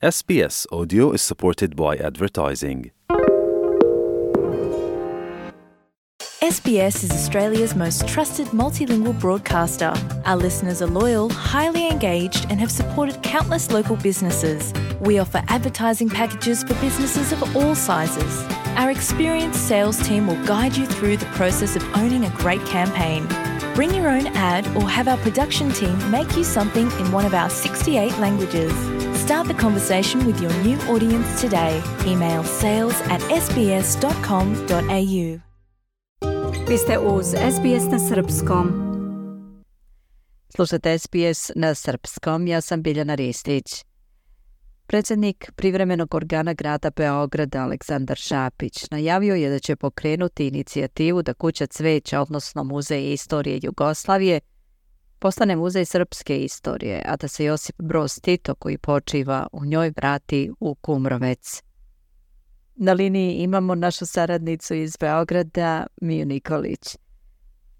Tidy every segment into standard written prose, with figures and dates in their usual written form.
SBS Audio is supported by advertising. SBS is Australia's most trusted multilingual broadcaster. Our listeners are loyal, highly engaged, and have supported countless local businesses. We offer advertising packages for businesses of all sizes. Our experienced sales team will guide you through the process of owning a great campaign. Bring your own ad or have our production team make you something in one of our 68 languages. Start the conversation with your new audience today. Email sales@sbs.com.au. Vi ste uz SBS na srpskom. Slušate SBS na srpskom, ja sam Biljana Ristić. Predsjednik privremenog organa grada Beograda Aleksandar Šapić najavio je da će pokrenuti inicijativu da Kuća cveća, odnosno Muzej istorije Jugoslavije, postane muzej srpske istorije, a da se Josip Broz Tito, koji počiva u njoj, vrati u Kumrovec. Na liniji imamo našu saradnicu iz Beograda, Miju Nikolić.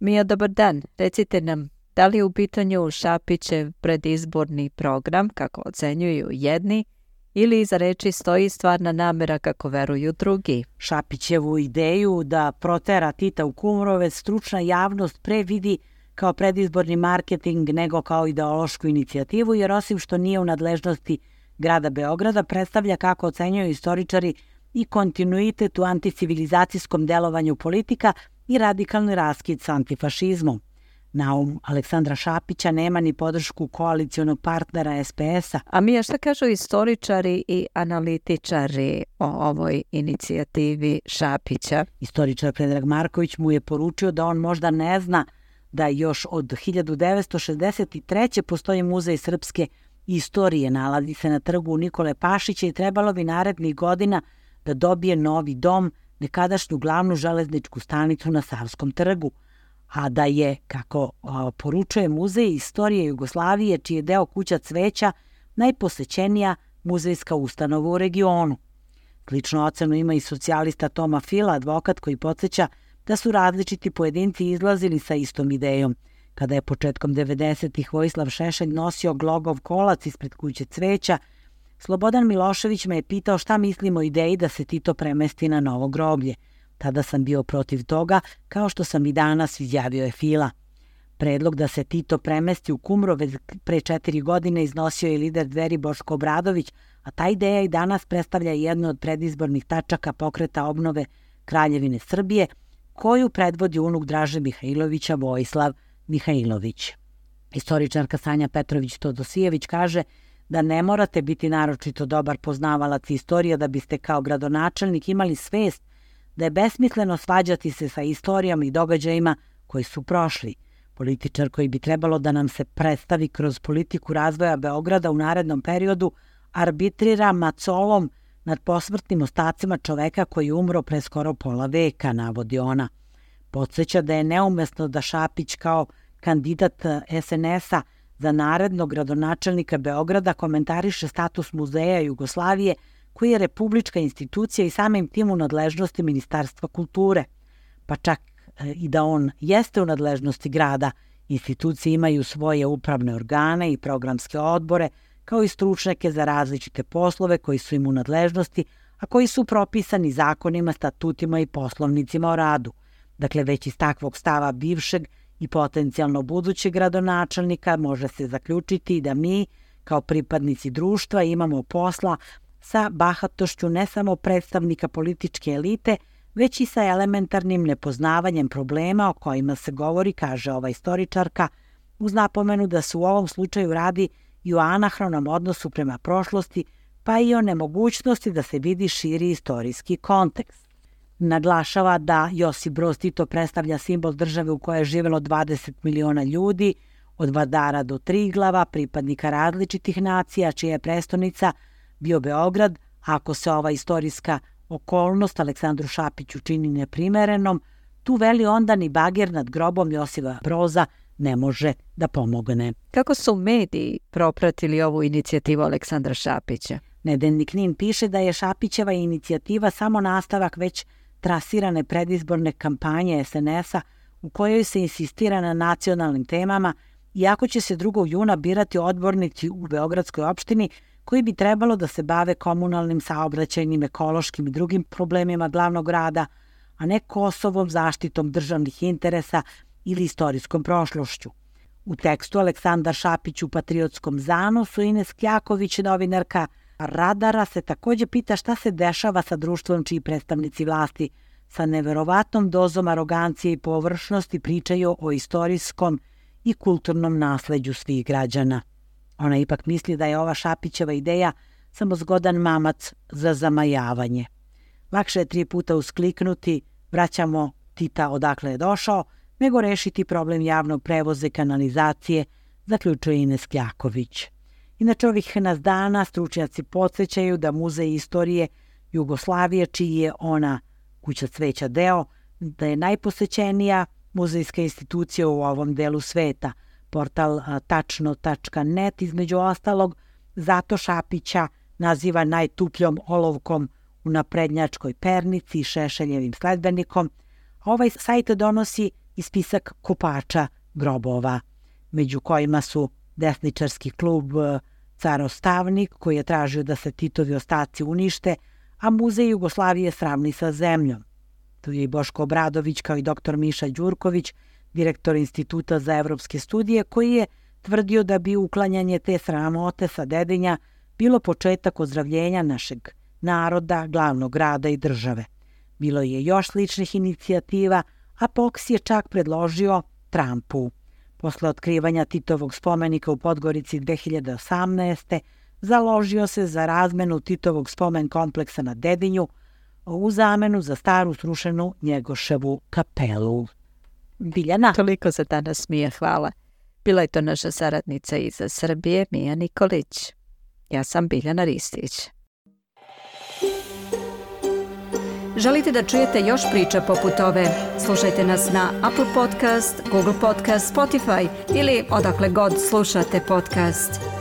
Mija, dobar dan. Recite nam, da li je u pitanju Šapićev predizborni program, kako ocenjuju jedni, ili iza reči stoji stvarna namera, kako veruju drugi? Šapićevu ideju da protera Tita u Kumrovec stručna javnost pre vidi kao predizborni marketing nego kao ideološku inicijativu, jer osim što nije u nadležnosti grada Beograda, predstavlja, kako ocenjuju istoričari, i kontinuitet u anticivilizacijskom delovanju politika i radikalni raskid s antifašizmom. Naum Aleksandra Šapića nema ni podršku koalicionog partnera SPS-a. A Mija, šta kažu istoričari i analitičari o ovoj inicijativi Šapića? Istoričar Predrag Marković mu je poručio da on možda ne zna da još od 1963. postoji Muzej srpske istorije, nalazi se na trgu Nikole Pašića i trebalo bi narednih godina da dobije novi dom, nekadašnju glavnu železničku stanicu na Savskom trgu, a da je, kako poručuje Muzej istorije Jugoslavije, čiji je deo Kuća cveća, najposećenija muzejska ustanova u regionu. Sličnu ocenu ima i socijalista Toma Fila, advokat koji podsjeća da su različiti pojedinci izlazili sa istom idejom. Kada je početkom 90-ih Vojislav Šešelj nosio glogov kolac ispred Kuće cveća, Slobodan Milošević me je pitao šta mislim o ideji da se Tito premesti na novo groblje. Tada sam bio protiv toga, kao što sam i danas, izjavio je Fila. Predlog da se Tito premesti u Kumrovec pre 4 godine iznosio je lider Dveri Boško Obradović, a ta ideja i danas predstavlja jednu od predizbornih tačaka pokreta obnove Kraljevine Srbije, koju predvodi unuk Draže Mihajlovića, Vojislav Mihajlović. Istoričarka Sanja Petrović-Todosijević kaže da ne morate biti naročito dobar poznavalac istorije da biste kao gradonačelnik imali svest da je besmisleno svađati se sa istorijama i događajima koji su prošli. Političar koji bi trebalo da nam se predstavi kroz politiku razvoja Beograda u narednom periodu arbitrira macolom nad posmrtnim ostacima čoveka koji je umro pre skoro pola veka, navodi ona. Podsjeća da je neumesno da Šapić kao kandidat SNS-a za narednog gradonačelnika Beograda komentariše status Muzeja Jugoslavije, koji je republička institucija i samim tim u nadležnosti Ministarstva kulture. Pa čak i da on jeste u nadležnosti grada, institucije imaju svoje upravne organe i programske odbore, kao i stručnjake za različite poslove koji su im u nadležnosti, a koji su propisani zakonima, statutima i poslovnicima o radu. Dakle, već iz takvog stava bivšeg i potencijalno budućeg gradonačelnika može se zaključiti da mi, kao pripadnici društva, imamo posla sa bahatošću ne samo predstavnika političke elite, već i sa elementarnim nepoznavanjem problema o kojima se govori, kaže ova istoričarka, uz napomenu da se u ovom slučaju radi i o anahronom odnosu prema prošlosti, pa i o nemogućnosti da se vidi širi istorijski kontekst. Naglašava da Josip Broz Tito predstavlja simbol države u kojoj je živjelo 20 miliona ljudi, od Vardara do Triglava, pripadnika različitih nacija, čija je prestonica bio Beograd. Ako se ova istorijska okolnost Aleksandru Šapiću čini neprimerenom, tu veli onda ni bager nad grobom Josipa Broza ne može da pomogne. Kako su mediji propratili ovu inicijativu Aleksandra Šapića? Nedeljnik NIN piše da je Šapićeva inicijativa samo nastavak već trasirane predizborne kampanje SNS-a u kojoj se insistira na nacionalnim temama, iako će se 2. juna birati odbornici u Beogradskoj opštini koji bi trebalo da se bave komunalnim, saobraćajnim, ekološkim i drugim problemima glavnog grada, a ne Kosovom, zaštitom državnih interesa ili istorijskom prošlošću. U tekstu Aleksandar Šapić u Patriotskom zanosu, Ines Kjaković, novinarka Radara, se takođe pita šta se dešava sa društvom čiji predstavnici vlasti sa neverovatnom dozom arogancije i površnosti pričaju o istorijskom i kulturnom nasleđu svih građana. Ona ipak misli da je ova Šapićeva ideja samo zgodan mamac za zamajavanje. Lakše je 3 puta uskliknuti vraćamo Tita odakle je došao, nego rešiti problem javnog prevoza i kanalizacije, zaključuje Ines Kjaković. Inače, ovih nas dana stručnjaci podsjećaju da Muzej istorije Jugoslavije, čiji je ona Kuća cveća deo, da je najposećenija muzejska institucija u ovom delu sveta. Portal tačno.net između ostalog zato Šapića naziva najtupljom olovkom u naprednjačkoj pernici i Šešeljevim sledbenikom. Ovaj sajt donosi i spisak kopača grobova, među kojima su desničarski klub Carostavnik, koji je tražio da se Titovi ostaci unište, a Muzej Jugoslavije sravni sa zemljom. Tu je i Boško Obradović kao i dr. Miša Đurković, direktor Instituta za evropske studije, koji je tvrdio da bi uklanjanje te sramote sa Dedinja bilo početak ozdravljenja našeg naroda, glavnog grada i države. Bilo je još sličnih inicijativa, a Fox je čak predložio Trumpu. Posle otkrivanja Titovog spomenika u Podgorici 2018. založio se za razmenu Titovog spomen kompleksa na Dedinju u zamenu za staru srušenu Njegoševu kapelu. Biljana. Toliko za danas, Mija, hvala. Bila je to naša saradnica iz Srbije, Mija Nikolić. Ja sam Biljana Ristić. Želite da čujete još priča poput ove? Slušajte nas na Apple Podcast, Google Podcast, Spotify ili odakle god slušate podcast.